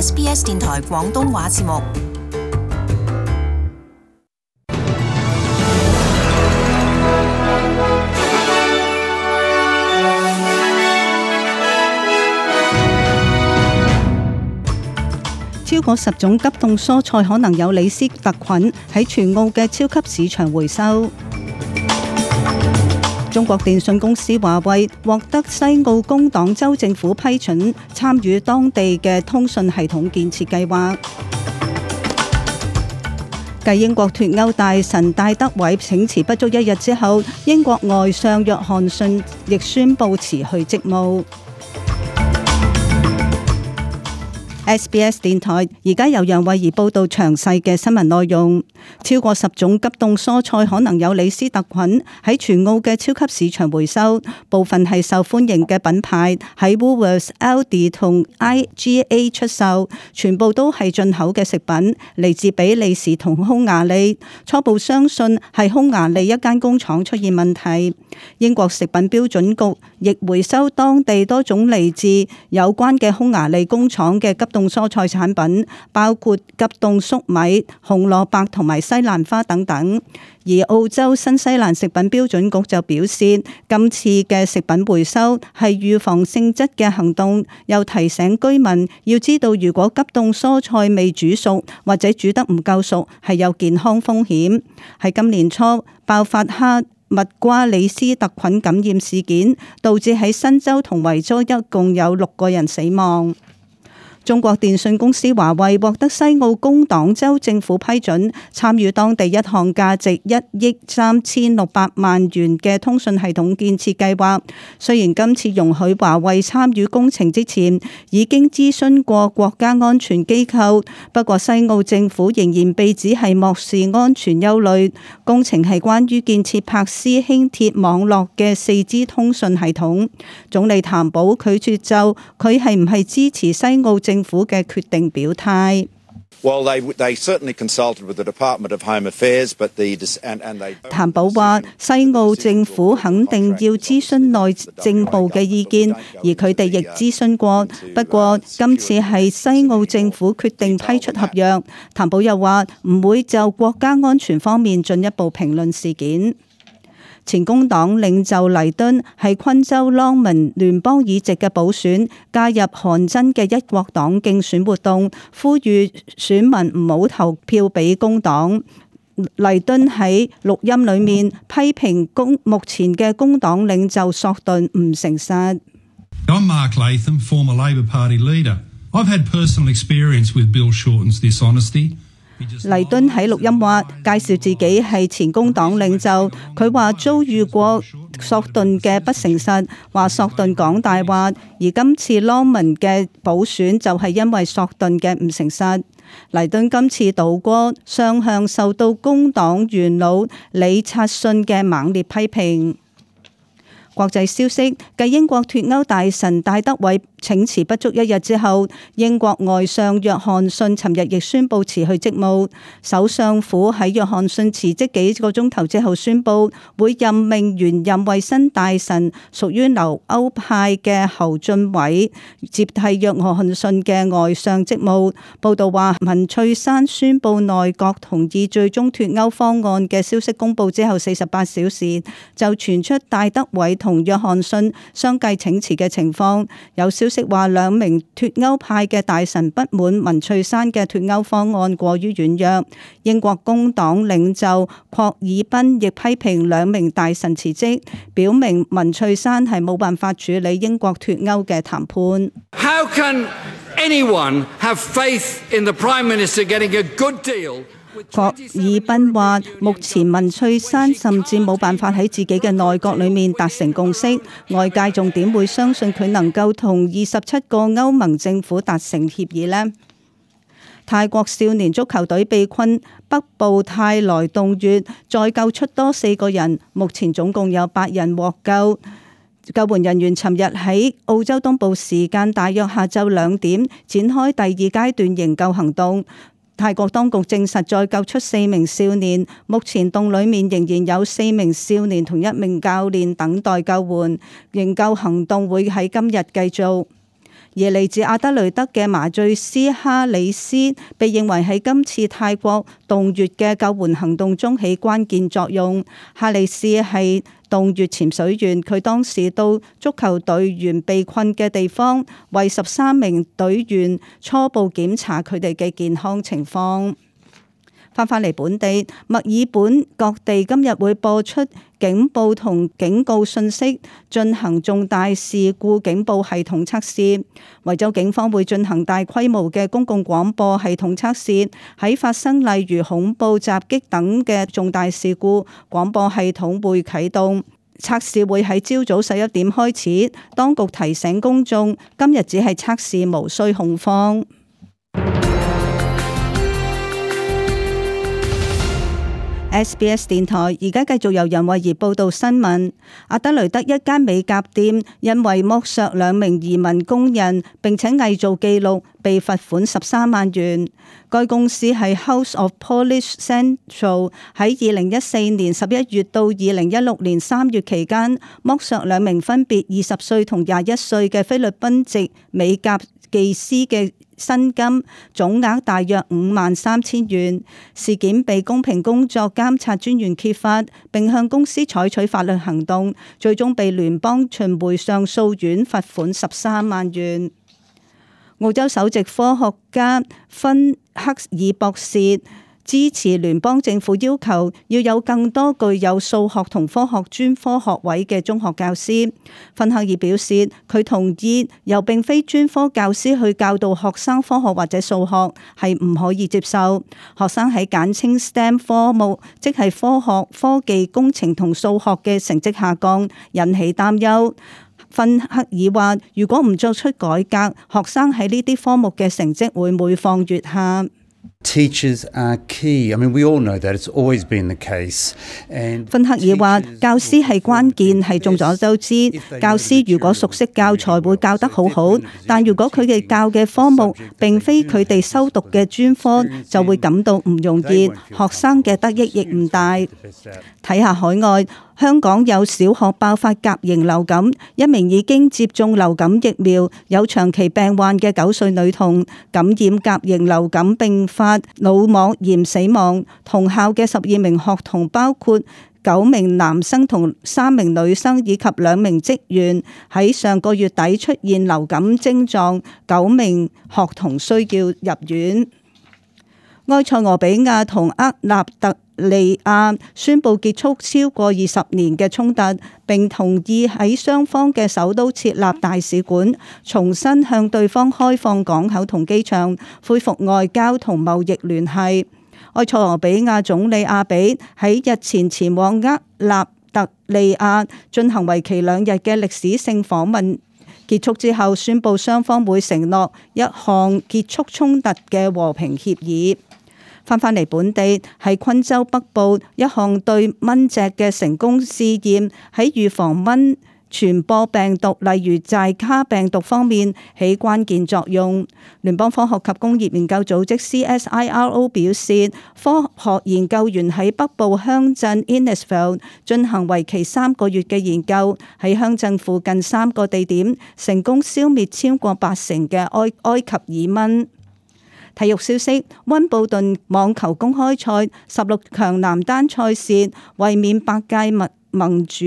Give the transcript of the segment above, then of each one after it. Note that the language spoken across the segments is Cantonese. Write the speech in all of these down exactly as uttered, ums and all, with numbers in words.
S B S 電台廣東話節目。超過十種急凍蔬菜可能有李斯特菌，喺全澳嘅超級市場回收。中國電信公司華為獲得西澳工黨州政府批准參與當地嘅通訊系統建設計劃。繼英國脫歐大臣戴德偉請辭不足一日之後，英國外相約翰遜亦宣布辭去職務。S B S 電台而家由楊慧儀報道詳細嘅新聞內容。超過十種急凍蔬菜可能有李斯特菌，喺全澳嘅超級市場回收，部分係受歡迎嘅品牌喺 Woolworths、Aldi 同 I G A 出售，全部都係進口嘅食品，嚟自比利時同匈牙利。初步相信係匈牙利一間工廠出現問題。英國食品標準局亦回收當地多種嚟自有關嘅匈牙利工廠嘅急凍蔬菜產品，包括急凍粟米、紅蘿蔔同埋西蘭花等等。而澳洲新西蘭食品標準局就表示，今次嘅食品回收係預防性質嘅行動，又提醒居民要知道，如果急凍蔬菜未煮熟或者煮得唔夠熟，係有健康風險。喺今年初爆發哈密瓜李斯特菌感染事件，導致喺新州同維州一共有六個人死亡。中國電信公司華為獲得西澳工黨州政府批准參與當地一項價值一億三千六百萬元嘅通訊系統建設計劃。雖然今次容許華為參與工程之前已經諮詢過國家安全機構，不過西澳政府仍然被指係漠視安全憂慮。工程係關於建設柏斯輕鐵網絡嘅四 G 通訊系統。總理譚寶拒絕就佢係唔係支持西澳政府嘅決定表態。譚寶話：西澳政府肯定要諮詢內政部嘅意見，而佢哋亦諮詢過。不過今次係西澳政府決定批出合約。譚寶又話唔會就國家安全方面進一步評論事件。前工黨領袖黎敦喺昆州朗文聯邦議席嘅補選加入韓真嘅一國黨競選活動，呼籲選民唔好投票俾工黨。黎敦喺錄音裏面批評工目前嘅工黨領袖索頓唔誠實。I'm Mark Latham, former Labor Party leader. I've had personal experience with Bill Shorten's dishonesty.黎敦喺錄音話介紹自己係前工黨領袖，佢話遭遇過索頓嘅不誠實，話索頓講大話，而今次朗文嘅補選就係因為索頓嘅唔誠實。黎敦今次倒戈雙向受到工黨元老李察信嘅猛烈批評。國際消息，繼英國脫歐大臣戴德偉請辭不足一日之後，英國外相約翰遜尋日亦宣布辭去職務。首相府喺約翰遜辭職幾個鐘頭之後宣布，會任命原任衛生大臣屬於留歐派嘅侯俊偉接替約翰遜嘅外相職務。報道話，文翠珊宣布內閣同意最終脫歐方案嘅消息公布之後四十八小時，就傳出戴德偉同約翰遜相繼請辭嘅情況。有消息話，兩名脫歐派嘅大臣不滿文翠珊嘅脫歐方案過於軟弱。英國工黨領袖霍爾賓亦批評兩名大臣辭職，表明文翠珊係冇辦法處理英國脫歐嘅談判。How can anyone have faith in the Prime Minister getting a good deal?霍爾賓話：目前文翠珊甚至冇辦法喺自己嘅內閣裏面達成共識，外界仲點會相信佢能夠同二十七個歐盟政府達成協議呢？泰國少年足球隊被困北部泰來洞穴，再救出多四個人，目前總共有八人獲救。救援人員尋日喺澳洲東部時間大約下晝兩點展開第二階段營救行動。泰國當局證實再救出四名少年，目前洞裡面仍然有四名少年同一名教練等待救援。營救行動會喺今日繼續。而嚟自阿德雷德嘅麻醉師哈里斯被認為喺今次泰國洞穴嘅救援行動中起關鍵作用。哈里斯係洞穴潛水員，佢當時到足球隊員被困嘅地方，為十三名隊員初步檢查佢哋嘅健康情況。翻返嚟本地，墨爾本各地今日會播出警報同警告信息，進行重大事故警報系統測試。維州警方會進行大規模嘅公共廣播系統測試，喺發生例如恐怖襲擊等嘅重大事故，廣播系統會啟動。測試會喺朝早十一點開始。當局提醒公眾，今日只係測試，無需恐慌。S B S 電台而家繼續由楊慧儀報道新聞。阿德雷德一間美甲店因為剝削兩名移民工人並且偽造記錄，被罰款十三萬元。該公司係 House of Polish Central， 喺二零一四年十一月到二零一六年三月期間，剝削兩名分別二十歲同廿一歲嘅菲律賓籍美甲技師嘅薪金，總額大約五萬三千元。事件被公平工作監察專員揭發，並向公司採取法律行動，最終被聯邦巡迴上訴院罰款十三萬元。澳洲首席科學家芬克爾博士支持聯邦政府要求要有更多具有數學同科學專科學位嘅中學教師。芬克爾表示，佢同意由並非專科教師去教導學生科學或者數學係唔可以接受。學生喺簡稱 S T E M 科目，即係科學、科技、工程同數學嘅成績下降，引起擔憂。芬克爾話，如果唔作出改革，學生喺呢啲科目嘅成績會每況愈下。Teachers are key. I mean, we all know that it's always been the case. And 芬克爾話，教師係關鍵，係眾所周知。教師如果熟悉教材，會教得好好，但如果佢哋教嘅科目並非佢哋修讀嘅專科，就會感到唔容易，學生嘅得益亦唔大。睇下海外。香港有小學爆發甲型流感，一名已經接種流感疫苗、有長期病患嘅九歲女童感染甲型流感並發腦膜炎死亡。同校嘅十二名學童，包括九名男生同三名女生以及兩名職員，喺上個月底出現流感症狀，九名學童需要入院。埃塞俄比亞同厄立特利亞宣布結束超過二十年嘅衝突，並同意喺雙方嘅首都設立大使館，重新向對方開放港口同機場，恢復外交同貿易聯繫。埃塞俄比亞總理阿比喺日前前往厄立特利亞進行為期兩日嘅歷史性訪問，結束之後宣布雙方會承諾一項結束衝突嘅和平協議。翻返嚟本地，喺昆州北部一項對蚊隻嘅成功試驗，喺預防蚊傳播病毒，例如寨卡病毒方面起關鍵作用。聯邦科學及工業研究組織 C S I R O 表示，科學研究員喺北部鄉鎮 Innisfail 進行為期三個月嘅研究，喺鄉鎮附近三個地點成功消滅超過八成嘅埃埃及爾蚊。體育消息：溫布頓網球公開賽十六強男單賽事，衛冕八屆盟盟主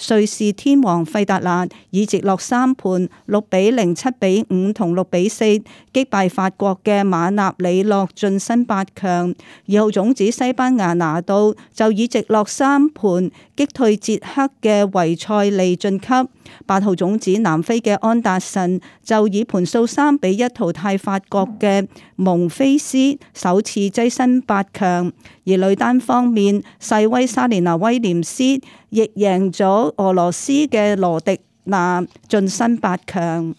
瑞士天王費達拿以直落三盤六比零、七比五同六比四擊敗法國嘅馬納里諾晉身八強。二號種子西班牙拿度就以直落三盤擊退捷克嘅維塞利晉級。八號種子南非嘅安達臣就以盤數三比一淘汰法國嘅蒙菲斯，首次躋身八強。而女單方面，世威莎蓮娜威廉斯亦贏咗俄羅斯嘅羅迪娜，晉身八強。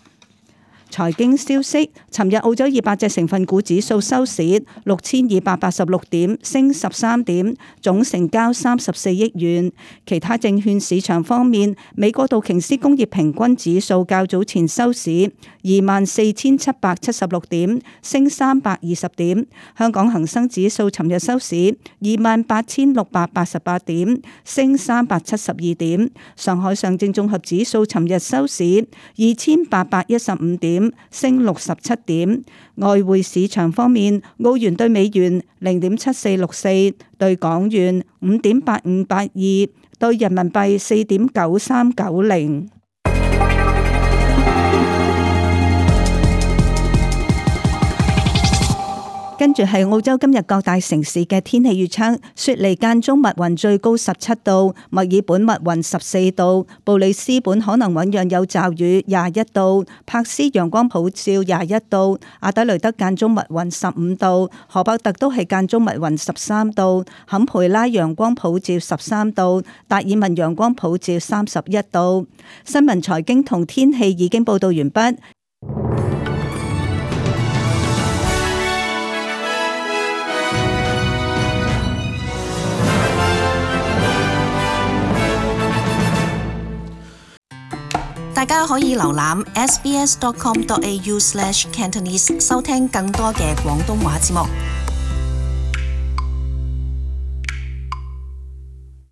財經消息：尋日澳洲二百隻成分股指數收市六千二百八十六點，升十三點，總成交三十四億元。其他證券市場方面，美國道瓊斯工業平均指數較早前收市二萬四千七百七十六點，升三百二十點。香港恒生指數尋日收市二萬八千六百八十八點，升三百七十二點。上海上證綜合指數尋日收市二千八百一十五點，點，升六十七點。外匯市場方面，澳元對美元零點七四六四，對港元五點八五八二，對人民幣四點九三九零。跟住係澳洲今日各大城市嘅天氣預測：雪梨間中密雲，最高十七度；墨爾本密雲十四度；布里斯本可能醞釀有驟雨廿一度；柏斯陽光普照廿一度；阿德雷德間中密雲十五度；荷伯特都係間中密雲十三度；坎培拉陽光普照十三度；達爾文陽光普照三十一度。新聞財經同天氣已經報道完畢。大家可以瀏覽 s b s dot com dot a u slash cantonese 收聽更多嘅廣東話節目。